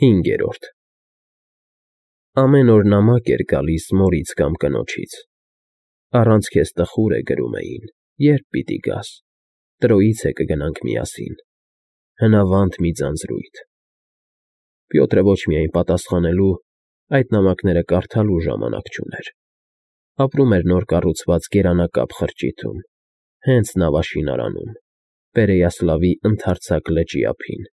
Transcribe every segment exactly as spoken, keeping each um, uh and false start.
Հինգերորդ Ամեն օր նամակ էր գալիս մորից կամ կնոջից. առանց քեզ տխուր է, գրում էին, երբ պիտի գաս, Տրոյից է կգնանք միասին, հնավանդ մի ձանձրույթ։ Պյոտրը ոչ միայն պատասխանելու, այդ նամակները կարդալու ժամանակ չուներ։ Ապրում էր նոր կառուցված գերանակապ խրճիթում, հենց նավաշինարանում, Պերեյասլավի ընդարձակ լճի ափին,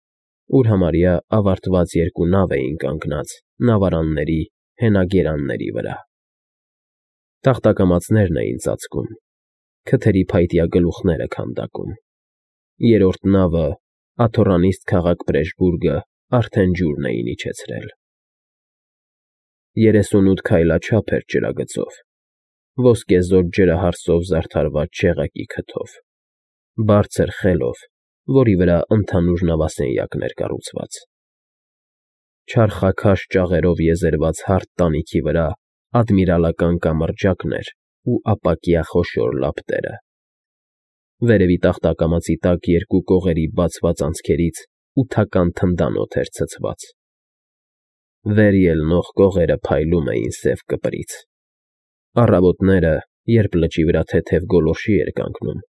ուր համարյա ավարտված երկու նավ էին կանգնած նավարանների հենագերանների վրա։ Տախտակամածներն էին ծածկում, քթերի փայտյա գլուխները քանդակում։ Երրորդ նավը, աթոռանիստ քաղաք Պրեժբուրգը, արդեն ջուրն էին իջեցրել։ Երեսունութ քայլաչափ էր ջրագծով, ոսկեզօծ ջրահարսով զարդարված չեղակի քթով, բարձր խելով, որի վրա ընդհանուր նավասենյակն էր կառուցված։ Չարխաքաշ ճաղերով եզերված հարթ տանիքի վրա ադմիրալական կամրջակն էր ու ապակյա խոշոր լապտերը։ Վերևի տախտակամածի տակ երկու կողերի բացված անցքերից ութական թնդանոթ էր ցցված։ Վեր ելնող կողերը փայլում էին սև կպրից։ Առավոտները, երբ լճի վրա թեթև գոլորշի էր կանգնում,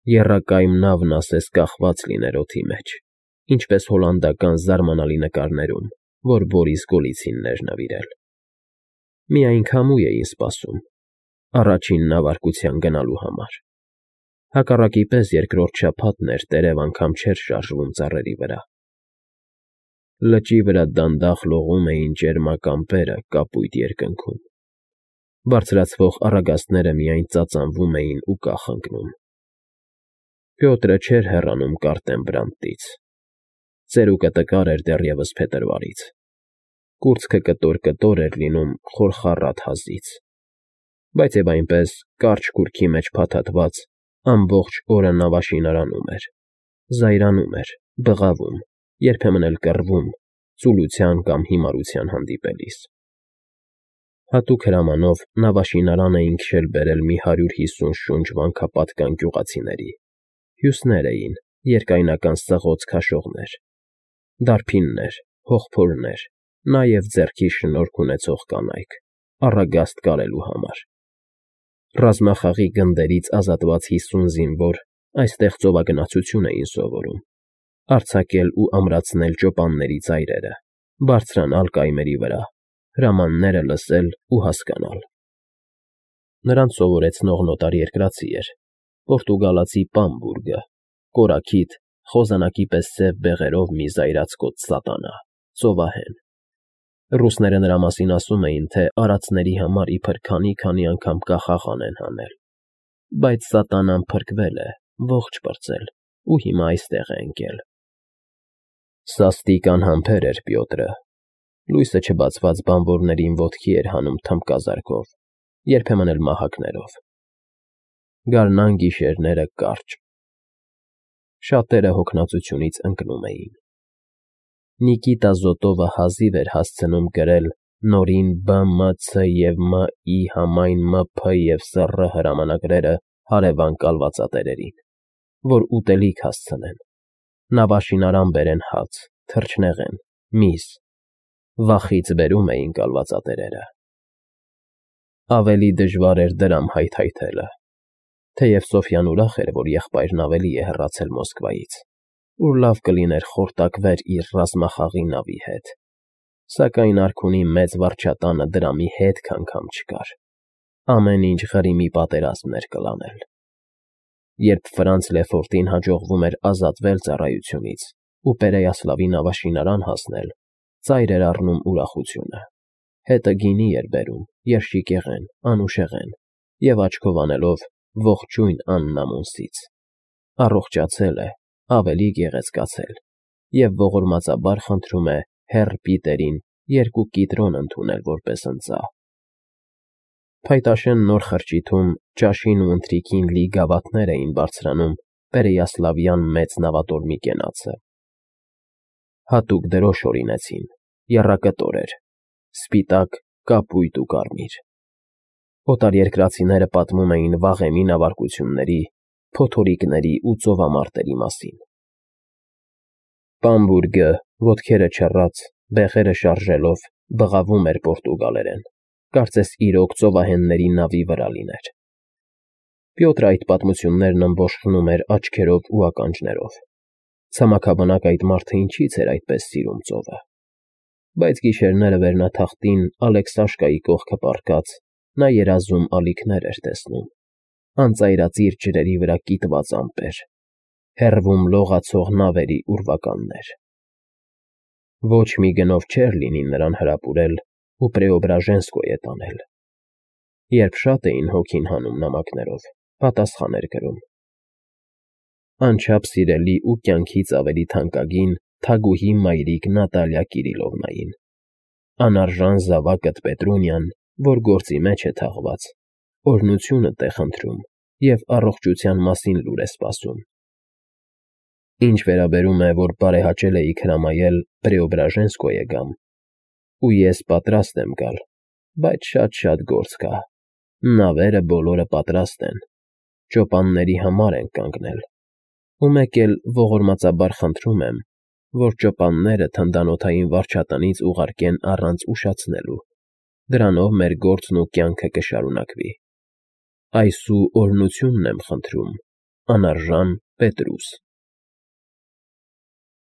եռակայմ նավն ասես կախված լիներ օդի մեջ, ինչպես հոլանդական զարմանալի նկարներում, որ Բորիս Գոլիցինն էր նվիրել։ Միայն քամու էին սպասում, առաջին նավարկության գնալու համար։ Հակառակի պես երկրորդ շաբաթն էր, տերև անգամ չէր շարժվում ծառերի վրա։ Լճի վրա դանդաղ լողում էին ճերմակ ամպերը կապույտ երկնքում։ Բարձրացվող առագաստները միայն ծածանվում էին ու կախ ընկնում։ Պյոտրը չէր հեռանում Կարտեմբրանտից։ Ծերուկը տկար էր դեռևս փետրվարից։ Կուրծքը կտոր֊կտոր էր լինում խորխառատ հազից։ Բայց և այնպես, կարճ կուրքի մեջ փաթաթված, ամբողջ օրը նավաշինարանում էր, զայրանում էր, բղավում, երբեմն էլ կռվում, ծուլության կամ հիմարության հանդիպելիս։ Հատուկ հրամանով նավաշինարան էին քշել֊բերել մի հարյուր հիսուն շունչ վանքապատկան գյուղացիների, հյուսներ էին, երկայնական սղոց քաշողներ, դարբիններ, հողփորներ, նաև ձեռքի շնորք ունեցող կանայք, առագաստ կարելու համար։ Ռազմախաղի գնդերից ազատված հիսուն զինվոր այստեղ ծովագնացություն էին սովորում, արձակել ու ամրացնել ճոպանների ծայրերը, բարձրանալ կայմերի վրա, հրամանները լսել ու հասկանալ։ Նրանց սովորեցնողն օտարերկրացի էր, պորտուգալացի Պամբուրգը, կորաքիթ, խոզանակի պես սև բեղերով մի զայրացկոտ սատանա, ծովահեն։ Ռուսները նրա մասին ասում էին, թե արածների համար իբր քանի֊քանի անգամ կախաղան են հանել, բայց սատանան փրկվել է, ողջ պրծել ու հիմա այստեղ է ընկել։ Սաստիկ անհամբեր էր Պյոտրը, լույսը չբացված բանվորներին ոտքի էր հանում թմբկազարկով, երբեմն էլ մահակներով։ Գարնան գիշերները կարճ։ Շատերը հոգնածությունից ընկնում էին։ Նիկիտա Զոտովը հազիվ էր հասցնում գրել նորին Բ M C և M I համայն M P և S R հրամանագրերը հարևան կալվածատերերին, որ ուտելիք հասցնեն, նավաշինարան բերեն հաց, թռչնեղեն, միս, վախից բերում էին կալվածատերերը։ Ավելի դժվար էր դրամ հայթայթելը, թեև Սոֆյան ուրախ էր, որ եղբայրն ավելի է հեռացել Մոսկվայից, ուր լավ կլիներ խորտակվեր իր ռազմախաղի նավի հետ, սակայն արքունի մեծ վարչատանը դրամի հետք անգամ չկար, ամեն ինչ Ղրիմի պատերազմն էր կլանել։ Երբ Ֆրանց Լեֆորտին հաջողվում էր ազատվել ծառայությունից ու Պերեյասլավի նավաշինարան հասնել, ծայր էր առնում ուրախությունը, հետը գինի էր բերում, երշիկեղեն, անուշեղեն և աչքով անելով ողջույն Աննամոնսից, առողջացել է, ավելի գեղեցկացել և ողորմածաբար խնդրում է հեռ Պիտերին երկու կիտրոն ընդունել որպես ընծա։ Փայտաշեն նոր խրճիթում ճաշին ու ընթրիքին լի գավաթներ էին բարձրանում Պերեյասլավյան մեծ նավատորմի կենացը։ Հատուկ դրոշ օրինեցին, եռակտոր էր, սպիտակ, կապույտ ու կարմիր։ Օտարերկրացիները պատմում էին վաղեմի նավարկությունների, փոթորիկների ու ծովամարտերի մասին։ Պամբուրգը, ոտքերը չռած, Բեղերը շարժելով բղավում էր պորտուգալերեն, կարծես իրոք ծովահենների նավի վրա լիներ։ Պյոտրը այդ պատմություններն ըմբոշխնում էր աչքերով ու ականջներով։ Ցամաքաբնակ այդ մարդը ինչի՞ց էր այդպես սիրում ծովը։ Բայց գիշերները վերնաթախտին Ալեքսաշկայի կողքը պառկած նա երազում ալիքներ էր տեսնում, անծայրածիր ջրերի վրա կիտված ամպեր, հեռվում լողացող նավերի ուրվականներ։ Ոչ մի գնով չէր լինի նրան հրապուրել ու Պրեոբրաժենսկոյ է տանել։ Երբ շատ էին հոգին հանում նամակներով, պատասխան էր գրում. Անչափ սիրելի ու կյանքից ավելի թանկագին թագուհի մայրիկ Նատալիա Կիրիլովնային, անարժան զավակդ Պետրունյան, որ գործի մեջ է թաղված, օրհնությունդ է խնդրում և առողջության մասին լուր է սպասում։ Ինչ վերաբերում է, որ բարեհաճել էիք հրամայել Պրեոբրաժենսկոյ գամ, ու ես պատրաստ եմ գալ, բայց շատ֊շատ գործ կա, նավերը բոլորը պատրաստ են, ճոպանների համար ենք կանգնել, ու մեկ էլ ողորմածաբար խնդրում եմ, որ ճոպանները թնդանոթային վարչատնից ուղարկեն առանց ուշացնելու, դրանով մեր գործն ու կյանքը կշարունակվի։ Այսու օրհնությունն եմ խնդրում, անարժան Պետրուս։